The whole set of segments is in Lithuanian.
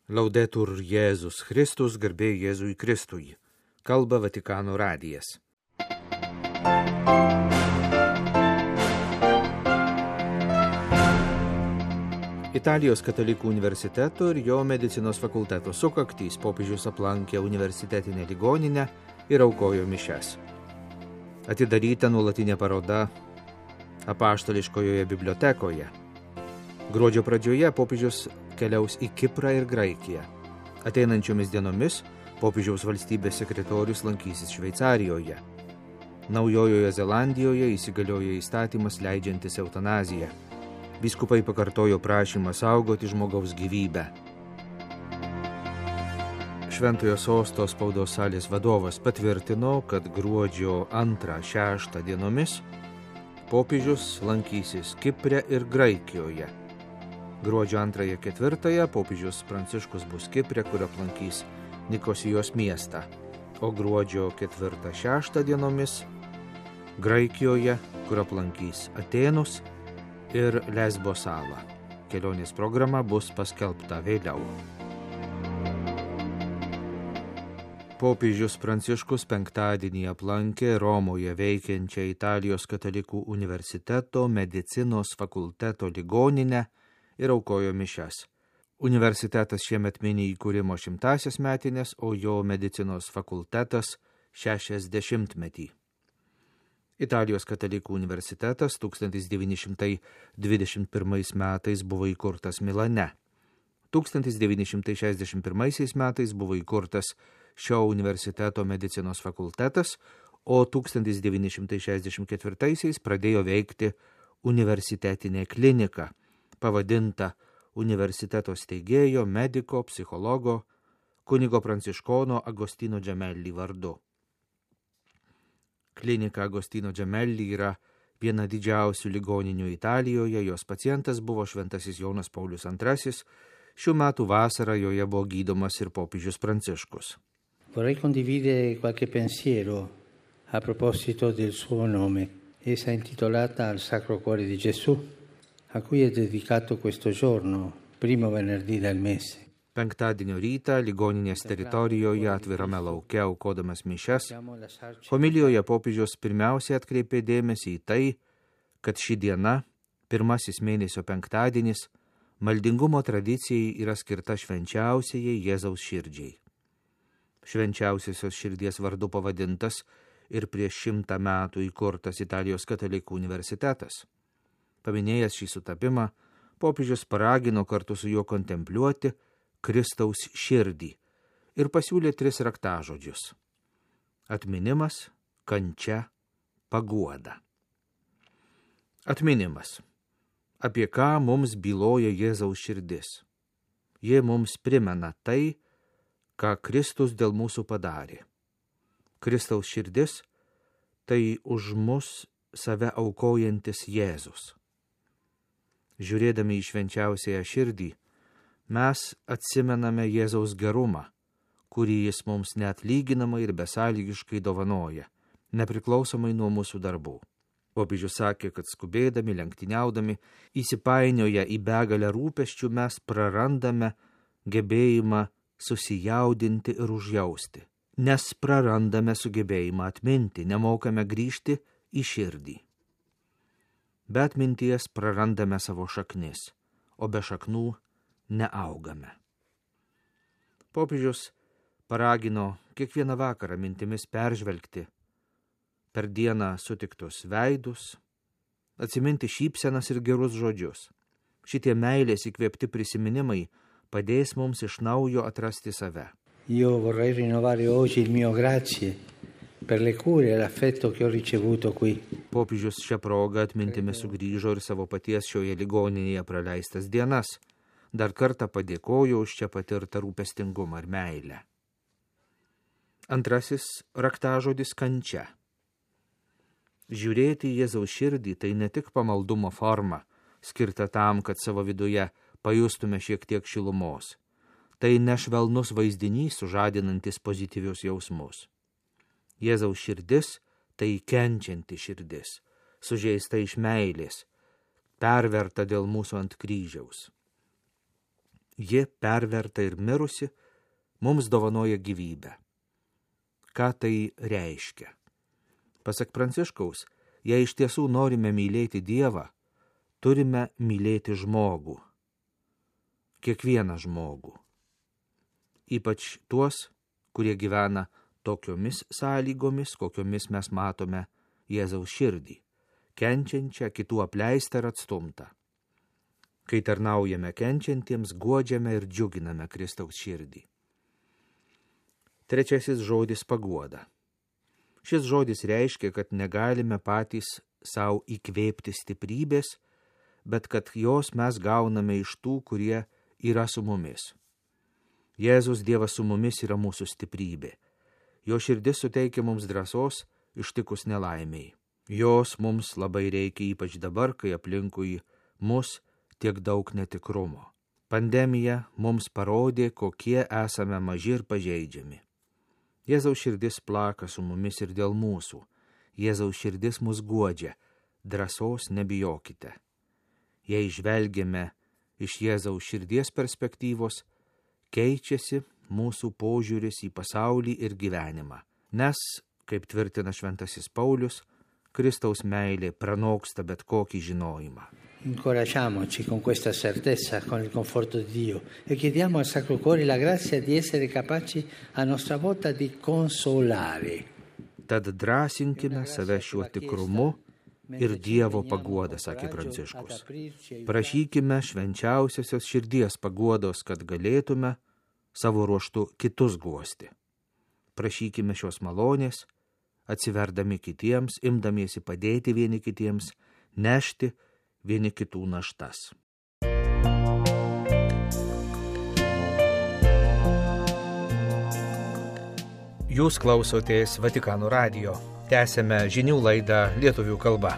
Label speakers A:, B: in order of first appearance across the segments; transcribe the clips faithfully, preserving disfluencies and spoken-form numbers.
A: Laudetur Jėzus Kristus, garbė Jėzui Kristui. Kalba Vatikano radijas. Italijos katalikų universiteto ir jo medicinos fakulteto sukaktys popiežius aplankė universitetinę ligoninę ir aukojo mišias. Atidaryta nuolatinė paroda apaštališkojoje bibliotekoje. Gruodžio pradžioje popiežius keliaus į Kiprą ir Graikiją. Ateinančiomis dienomis popiežiaus valstybės sekretorius lankysis Šveicarijoje. Naujojoje Zelandijoje įsigaliojo įstatymas leidžiantis eutanaziją. Vyskupai pakartojo prašymą saugoti žmogaus gyvybę. Šventojo sosto spaudos salės vadovas patvirtino, kad gruodžio antrą šeštą dienomis popiežius lankysis Kipre ir Graikijoje. Gruodžio antrąją ketvirtąją popiežius Pranciškus bus Kipre, kur aplankys Nikosijos miestą, o gruodžio ketvirtą šeštą dienomis Graikijoje, kur aplankys Atėnus ir Lesbo salą. Kelionės programa bus paskelbta vėliau. Popiežius Pranciškus penktadienį aplankė Romoje veikiančią Italijos katalikų universiteto medicinos fakulteto ligoninę ir aukojo mišias. Universitetas šiemet mini įkūrimo šimtąsias metines, o jo medicinos fakultetas šešiasdešimtmetį. Italijos katalikų universitetas tūkstantis devyni šimtai dvidešimt pirmais metais buvo įkurtas Milane. tūkstantis devyni šimtai šešiasdešimt pirmaisiais metais buvo įkurtas šio universiteto medicinos fakultetas, o tūkstantis devyni šimtai šešiasdešimt ketvirtaisiais pradėjo veikti universitetinė klinika, pavadinta universiteto steigėjo, mediko, psichologo, kunigo pranciškono Agostino Gemelli vardu. Klinika Agostino Gemelli yra viena didžiausių ligoninių Italijoje, jos pacientas buvo šventasis Jonas Paulius antrasis, šių metų vasarą joje buvo gydomas ir popiežius Pranciškus.
B: Vorrei condividere qualche pensiero a proposito del suo nome. Essa è intitolata al Sacro Cuore di Gesù, a cui è dedicato questo giorno, primo venerdì del mese.
A: Penktadienio rytą ligoninės teritorijoje atvirame lauke aukodamas mišias, homilijoje popiežius pirmiausiai atkreipė dėmesį į tai, kad ši diena, pirmasis mėnesio penktadienis, maldingumo tradicijai yra skirta švenčiausiai Jėzaus širdžiai. Švenčiausiosios širdies vardu pavadintas ir prieš šimtą metų įkurtas Italijos katalikų universitetas. Paminėjęs šį sutapimą, popiežius paragino kartu su juo kontempliuoti Kristaus širdį ir pasiūlė tris raktažodžius – atminimas, kančia, paguoda. Atminimas. Apie ką mums byloja Jėzaus širdis? Jie mums primena tai, ką Kristus dėl mūsų padarė. Kristaus širdis – tai už mus save aukojantis Jėzus. Žiūrėdami į švenčiausiąją širdį, mes atsimename Jėzaus gerumą, kurį jis mums neatlyginamai ir besąlygiškai dovanoja, nepriklausomai nuo mūsų darbų. Popiežius sakė, kad skubėdami, lenktyniaudami, įsipainioję į begalę rūpesčių, mes prarandame gebėjimą susijaudinti ir užjausti, nes prarandame sugebėjimą atminti, nemokame grįžti į širdį. Be atminties prarandame savo šaknis, o be šaknų neaugame. Popiežius paragino kiekvieną vakarą mintimis peržvelgti per dieną sutiktus veidus, atsiminti šypsenas ir gerus žodžius. Šitie meilės įkvėpti prisiminimai padės mums iš naujo atrasti save.
B: Io vorrei rinnovare oggi il mio grazie per le cure e l'affetto che ho ricevuto qui.
A: Popiežius šią progą atmintimi sugrįžo ir savo paties šioje ligoninėje praleistas dienas. Dar kartą padėkojo už čia patirtą rūpestingumą ir meilę. Antrasis raktažodis kančia. Žiūrėti į Jėzaus širdį tai ne tik pamaldumo forma, skirta tam, kad savo viduje pajustume šiek tiek šilumos. Tai nešvelnus vaizdinys, sužadinantis pozityvius jausmus. Jėzaus širdis tai kenčianti širdis, sužeista iš meilės, perverta dėl mūsų ant kryžiaus. ji perverta ir mirusi, mums dovanoja gyvybę. Ką tai reiškia? Pasak Pranciškaus, jei iš tiesų norime mylėti Dievą, turime mylėti žmogų. Kiekvieną žmogų. Ypač tuos, kurie gyvena tokiomis sąlygomis, kokiomis mes matome Jėzaus širdį, kenčiančią, kitų apleistą ir atstumtą. Kai tarnaujame kenčiantiems, guodžiame ir džiuginame Kristaus širdį. Trečiasis žodis paguoda. Šis žodis reiškia, kad negalime patys savo įkvėpti stiprybės, bet kad jos mes gauname iš tų, kurie yra su mumis. Jėzus Dievas su mumis yra mūsų stiprybė. Jo širdis suteikia mums drąsos ištikus nelaimiai. Jos mums labai reikia, ypač dabar, kai aplinkui mus tiek daug netikrumo. Pandemija mums parodė, kokie esame maži ir pažeidžiami. Jėzaus širdis plaka su mumis ir dėl mūsų. Jėzaus širdis mus guodžia. Drąsos nebijokite. Jei žvelgiame iš Jėzaus širdies perspektyvos, keičiasi mūsų požiūris į pasaulį ir gyvenimą. Nes, kaip tvirtina šventasis Paulius, Kristaus meilė pranoksta bet kokį žinojimą.
B: Incoraggiamoci con questa certezza, con il conforto di Dio e chiediamo al Sacro Cuore la grazia di essere capaci a nostra volta di consolare.
A: Tad drąsinkime save šiuo tikrumu ir Dievo paguoda, sakė Pranciškus. Prašykime švenčiausiosios širdies paguodos, kad galėtume savo ruožtu kitus guosti. Prašykime šios malonės, atsiverdami kitiems, imdamiesi padėti vieni kitiems, nešti vieni kitų naštas. Jūs klausotės Vatikano radijo. Tęsėme žinių laidą lietuvių kalba.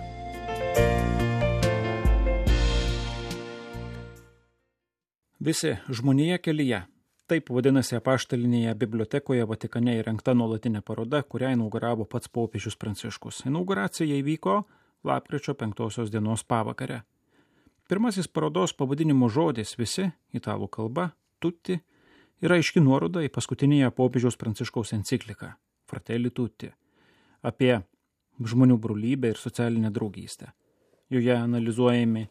C: Visi žmonija kelyje. Taip vadinasi apaštalinėje bibliotekoje Vatikane įrengta nuolatinė paroda, kurią inauguravo pats popiežius Pranciškus. Inauguracija įvyko lapkričio penktosios dienos pavakare. Pirmasis parodos pavadinimo žodis visi, italų kalba, tutti, yra aiški nuoroda į paskutinėje popiežiaus Pranciškaus encikliką Fratelli Tutti apie žmonių brolybę ir socialinę draugystę. Joje analizuojami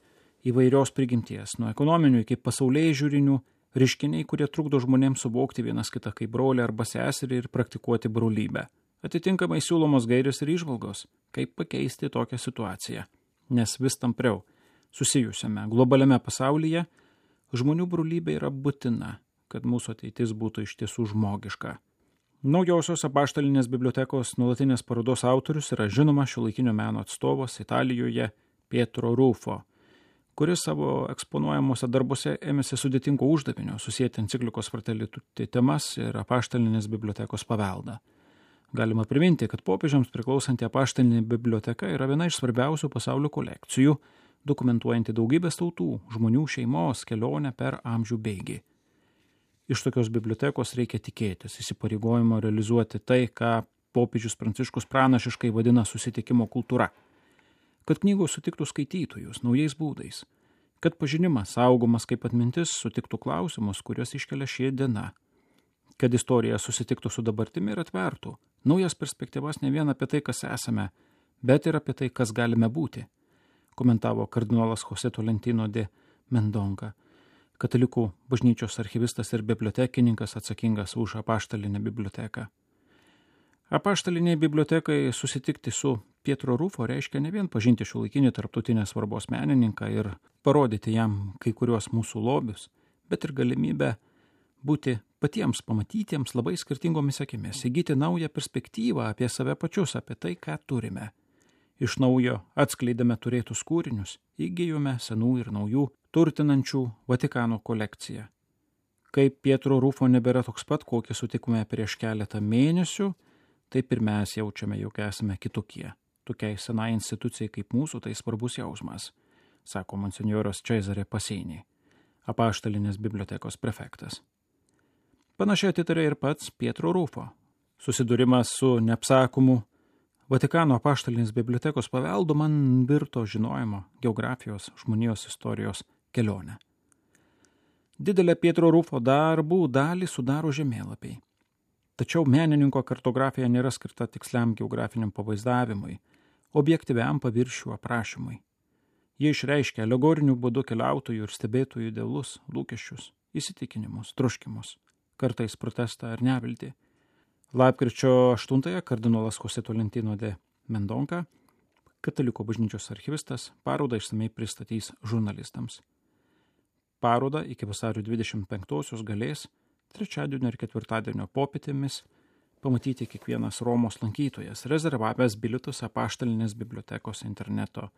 C: įvairios prigimties, nuo ekonominių iki pasaulyje žiūrinių reiškiniai, kurie trukdo žmonėms suvokti vienas kitą kaip brolį arba seserį ir praktikuoti brolybę. Atitinkamai siūlomos gairės ir įžvalgos, kaip pakeisti tokią situaciją. Nes vis tampriau susijusiame globaliame pasaulyje žmonių brolybė yra būtina, kad mūsų ateitis būtų iš tiesų žmogiška. Naujosios apaštalinės bibliotekos nuolatinės parodos autorius yra žinomas šiuolaikinio meno atstovas Italijoje Pietro Rufo, kuris savo eksponuojamuose darbuose ėmėsi sudėtingo uždavinio susijęti enciklikos Fratelli Tutti temas ir apaštalinės bibliotekos paveldą. Galima priminti, kad popiežiams priklausanti apaštalinė biblioteka yra viena iš svarbiausių pasaulio kolekcijų, dokumentuojanti daugybės tautų, žmonių šeimos kelionę per amžių bėgį. Iš tokios bibliotekos reikia tikėtis įsipareigojimo realizuoti tai, ką popiežius Pranciškus pranašiškai vadina susitikimo kultūra. Kad knygos sutiktų skaitytojus naujais būdais, kad pažinimas saugomas kaip atmintis sutiktų klausimus, kuriuos iškelia šie diena, kad istorija susitiktų su dabartimi ir atvertų naujas perspektyvas ne vien apie tai, kas esame, bet ir apie tai, kas galime būti, komentavo kardinolas José Tolentino de Mendonca, katalikų bažnyčios archyvistas ir bibliotekininkas atsakingas už apaštalinę biblioteką. Apaštalinėje bibliotekai susitikti su Pietro Rufo reiškia ne vien pažinti šiuolaikinį tarptautinės svarbos menininką ir parodyti jam kai kuriuos mūsų lobius, bet ir galimybę būti patiems pamatytiems labai skirtingomis akimis, įgyti naują perspektyvą apie save pačius, apie tai, ką turime. Iš naujo atskleidame turėtus kūrinius, įgijome senų ir naujų, turtinančių Vatikano kolekciją. Kaip Pietro Rufo nebėra toks pat, kokį sutikome prieš keletą mėnesių, taip ir mes jaučiame, jog esame kitokie. Tokiai senai institucijai kaip mūsų tai svarbus jausmas, sako monsinjoras Cesare Pasini, apaštalinės bibliotekos prefektas. Panašiai atitarė ir pats Pietro Rufo. Susidūrimas su neapsakomu Vatikano apaštalinės bibliotekos paveldu man virto žinojimo, geografijos, žmonijos istorijos kelionę. Didelę Pietro Rufo darbų dalį sudaro žemėlapiai. Tačiau menininko kartografija nėra skirta tiksliam geografiniam pavaizdavimui, objektyviam paviršių aprašymui. Jie išreiškia alegoriniu būdu keliautojų ir stebėtojų idealus, lūkesčius, įsitikinimus, troškimus, kartais protestą ar neviltį. Lapkričio aštuntąją kardinolas José Tolentino de Mendonca, Katalikų bažnyčios archyvistas, parodą išsamei pristatys žurnalistams. Parodą iki vasario dvidešimt penktosios galės trečiadienio ir ketvirtadienio popietėmis pamatyti kiekvienas Romos lankytojas, rezervavęs bilietus Apaštalinės bibliotekos interneto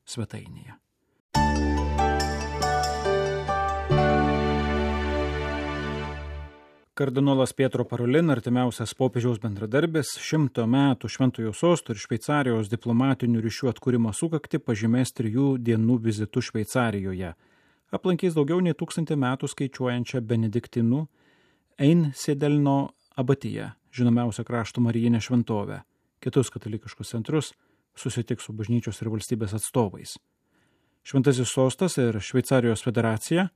C: svetainėje. Kardinolas Pietro Parolin, artimiausias popiežiaus bendradarbis, šimto metų Šventojo Sosto ir Šveicarijos diplomatinių ryšių atkūrimo sukaktį pažymės trijų dienų vizitu Šveicarijoje. Aplankys daugiau nei tūkstantį metų skaičiuojančią benediktinų Einsiedelno abatiją, žinomiausią krašto marijinę šventovę, kitus katalikiškus centrus, susitiks su bažnyčios ir valstybės atstovais. Šventasis Sostas ir Šveicarijos federacija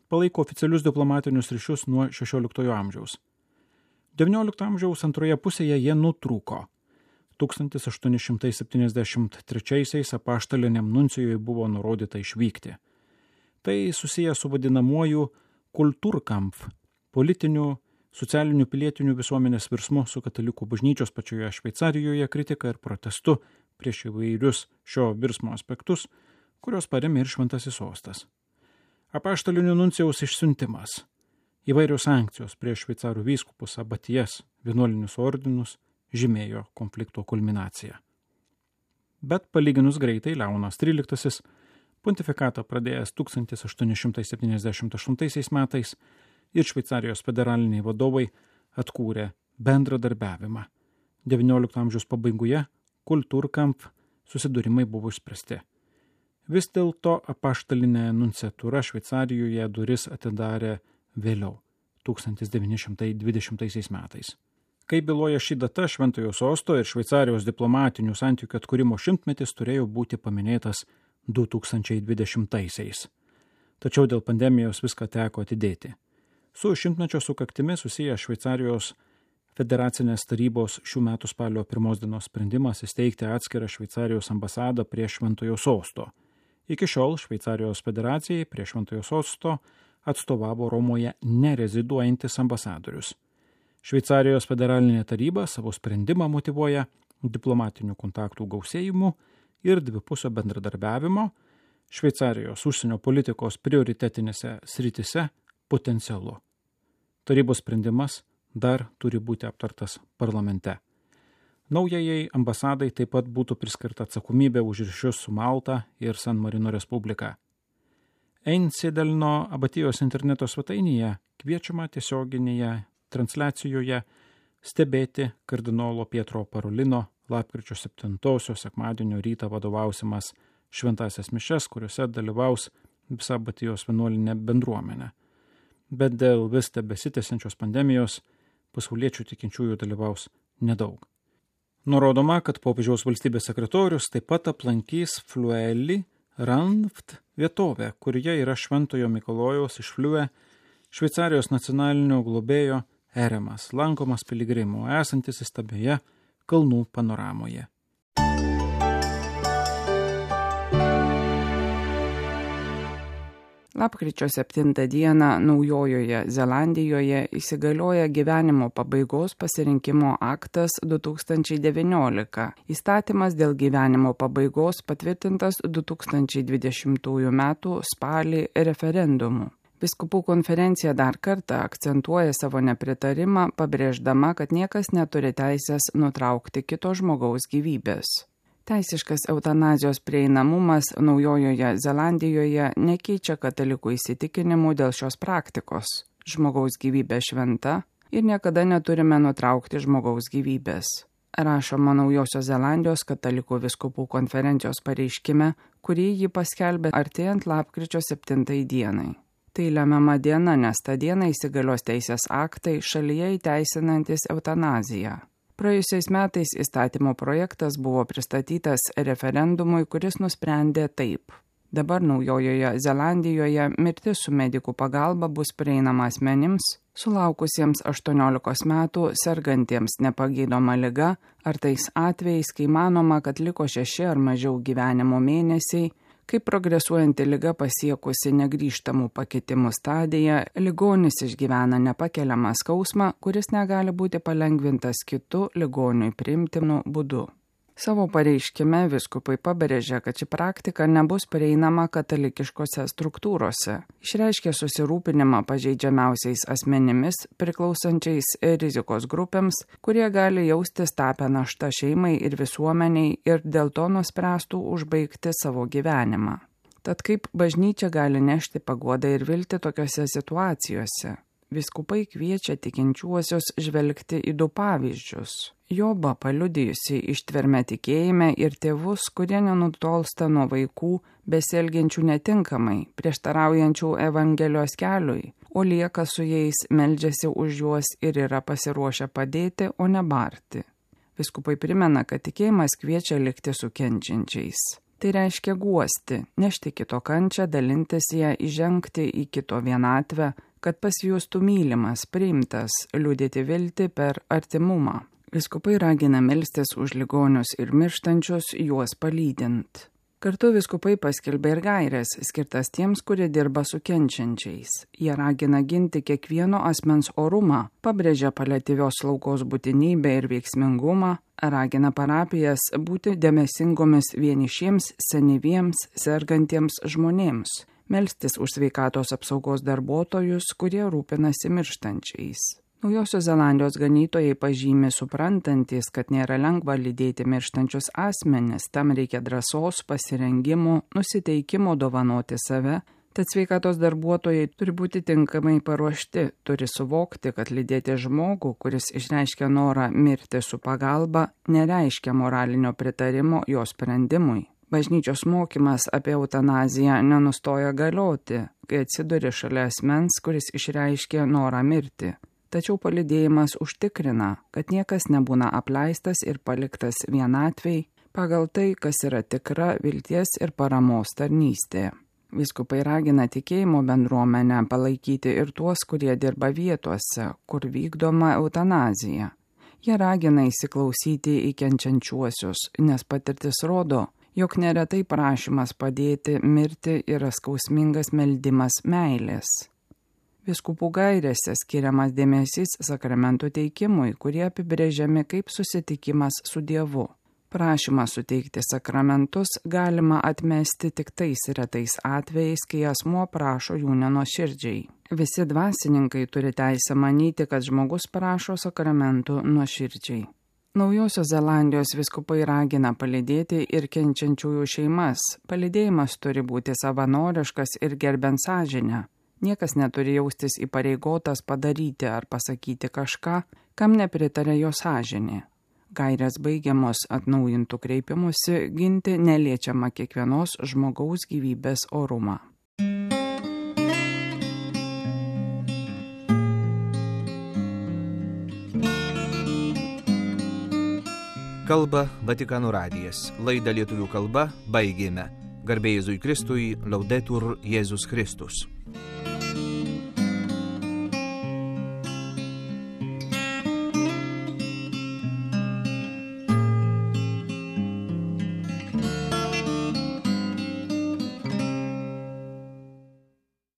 C: palaiko oficialius diplomatinius ryšius nuo šešioliktojo amžiaus. devyniolikto amžiaus antroje pusėje jie nutrūko. tūkstantis aštuoni šimtai septyniasdešimt trečiaisiais apaštaliniam nuncijui buvo nurodyta išvykti. Tai susiję su vadinamuoju kultūrkampf, politiniu, socialiniu pilietiniu visuomenės virsmu su katalikų bažnyčios pačioje Šveicarijoje kritika ir protestu prieš įvairius šio virsmo aspektus, kurios paremė ir Šventasis Sostas. Apaštalinių nuncijaus išsiuntimas, įvairios sankcijos prieš šveicarų vyskupus, abatijas, vienuolinius ordinus žymėjo konflikto kulminaciją. Bet palyginus greitai Leonas tryliktasis pontifikatą pradėjęs tūkstantis aštuoni šimtai septyniasdešimt aštuntaisiais metais ir Šveicarijos federaliniai vadovai atkūrė bendradarbiavimą. devyniolikto amžiaus pabaigoje kultūrkampf susidūrimai buvo išspręsti. Vis dėlto apaštalinė nunciatūra Šveicarijoje duris atidarė vėliau, tūkstantis devyni šimtai dvidešimtaisiais metais. Kai byloja ši data, Šventojo Sosto ir Šveicarijos diplomatinių santykių atkūrimo šimtmetis turėjo būti paminėtas du tūkstančiai dvidešimtaisiais. Tačiau dėl pandemijos viską teko atidėti. Su šimtmečio sukaktimi susiję Šveicarijos federacinės tarybos šių metų spalio pirmos dienos sprendimas įsteigti atskirą Šveicarijos ambasadą prie Šventojo Sosto. Iki šiol Šveicarijos federacijai prie Šventojo Sosto atstovavo Romoje nereziduojantis ambasadorius. Šveicarijos federalinė taryba savo sprendimą motyvuoja diplomatinių kontaktų gausėjimu ir dvipusio bendradarbiavimo Šveicarijos užsienio politikos prioritetinėse sritise potencialu. Tarybos sprendimas dar turi būti aptartas parlamente. Naujajai ambasadai taip pat būtų priskirta atsakomybė už ryšius su Malta ir San Marino Respublika. Einsiedelno abatijos interneto svetainėje kviečiama tiesioginėje transliacijoje stebėti kardinolo Pietro Parolino lapkričio septintosios sekmadienio rytą vadovausimas šventąsias mišias, kuriuose dalyvaus visa abatijos vienuolinė bendruomenė. Bet dėl vis tebesitęsiančios pandemijos pasauliečių tikinčiųjų dalyvaus nedaug. Nurodoma, kad popiežiaus valstybės sekretorius taip pat aplankys Flueli Ranft vietovę, kurioje yra Šventojo Mikalojaus iš Fliue Šveicarijos nacionalinio globėjo eremas, lankomas piligrimų, esantis įstabioje kalnų panoramoje.
D: Lapkričio septintą dieną Naujojoje Zelandijoje įsigalioja gyvenimo pabaigos pasirinkimo aktas du tūkstančiai devyniolika. Įstatymas dėl gyvenimo pabaigos patvirtintas du tūkstančiai dvidešimtųjų metų spalį referendumu. Vyskupų konferencija dar kartą akcentuoja savo nepritarimą, pabrėždama, kad niekas neturi teisės nutraukti kito žmogaus gyvybės. Teisiškas eutanazijos prieinamumas Naujojoje Zelandijoje nekeičia katalikų įsitikinimų dėl šios praktikos. Žmogaus gyvybė šventa ir niekada neturime nutraukti žmogaus gyvybės. Rašoma Naujosios Zelandijos katalikų vyskupų konferencijos pareiškime, kurį ji paskelbė artėjant lapkričio septintai dienai. Tai lemiama diena, nes tą dieną įsigalios teisės aktai šalyje įteisinantis eutanaziją. Praėjusiais metais įstatymo projektas buvo pristatytas referendumui, kuris nusprendė taip. Dabar Naujojoje Zelandijoje mirtis su medikų pagalba bus prieinama asmenims, sulaukusiems aštuoniolikos metų, sergantiems nepagydoma liga, ar tais atvejais, kai manoma, kad liko šeši ar mažiau gyvenimo mėnesiai, kai progresuojanti liga pasiekusi negrįžtamų pakitimų stadiją, ligonis išgyvena nepakeliamą skausmą, kuris negali būti palengvintas kitu ligoniui priimtinu būdu. Savo pareiškime vyskupai pabrėžia, kad ši praktika nebus prieinama katalikiškose struktūrose. Išreiškė susirūpinimą pažeidžiamiausiais asmenimis, priklausančiais rizikos grupėms, kurie gali jaustis tapę naštą šeimai ir visuomeniai ir dėl to nuspręstų užbaigti savo gyvenimą. Tad kaip bažnyčia gali nešti paguodą ir viltį tokiose situacijose? Vyskupai kviečia tikinčiuosius žvelgti į du pavyzdžius. Jobą paliudijusi ištvermę tikėjime ir tėvus, kurie nenutolsta nuo vaikų, besielgiančių netinkamai, prieštaraujančių Evangelijos keliui, o lieka su jais, meldžiasi už juos ir yra pasiruošę padėti, o ne barti. Vyskupai primena, kad tikėjimas kviečia likti su kenčiančiais. Tai reiškia guosti, nešti kito kančią, dalintis ją, įžengti į kito vienatvę, kad pasijustų mylimas, priimtas, liudyti viltį per artimumą. Vyskupai ragina melstis už ligonius ir mirštančius, juos palydint. Kartu vyskupai paskelbė ir gaires, skirtas tiems, kurie dirba su kenčiančiais. Jie ragina ginti kiekvieno asmens orumą, pabrėžia paliatyvios slaugos būtinybę ir veiksmingumą, ragina parapijas būti dėmesingomis vienišiems, senyviems, sergantiems žmonėms, melstis už sveikatos apsaugos darbuotojus, kurie rūpinasi mirštančiais. Naujosios Zelandijos ganytojai pažymi suprantantis, kad nėra lengva lydėti mirštančius asmenis, tam reikia drąsos, pasirengimo, nusiteikimo dovanoti save, tad sveikatos darbuotojai turi būti tinkamai paruošti, turi suvokti, kad lydėti žmogų, kuris išreiškia norą mirti su pagalba, nereiškia moralinio pritarimo jo sprendimui. Bažnyčios mokymas apie eutanaziją nenustoja galioti, kai atsiduri šalia asmens, kuris išreiškia norą mirti. Tačiau palydėjimas užtikrina, kad niekas nebūna apleistas ir paliktas vienatvei pagal tai, kas yra tikra vilties ir paramos tarnystė. Vyskupai ragina tikėjimo bendruomenę palaikyti ir tuos, kurie dirba vietose, kur vykdoma eutanazija. Jie ragina įsiklausyti į kenčiančiuosius, nes patirtis rodo, jog neretai prašymas padėti mirti yra skausmingas meldimas meilės. Vyskupų gairėse skiriamas dėmesys sakramentų teikimui, kurie apibrėžiami kaip susitikimas su Dievu. Prašymą suteikti sakramentus galima atmesti tik tais retais atvejais, kai asmuo prašo jų nenuoširdžiai. Visi dvasininkai turi teisę manyti, kad žmogus prašo sakramentų nuoširdžiai. Naujosios Zelandijos vyskupai ragina palydėti ir kenčiančiųjų šeimas. Palydėjimas turi būti savanoriškas ir gerbent sąžinę. Niekas neturi jaustis įpareigotas padaryti ar pasakyti kažką, kam nepritarė jo sąžinė. Gairės baigiamos atnaujintų kreipimusi ginti neliečiamą kiekvienos žmogaus gyvybės orumą.
A: Kalba Vatikano radijas. Laidą lietuvių kalba baigėme. Garbė Jėzui Kristui, Laudetur Jėzus Kristus.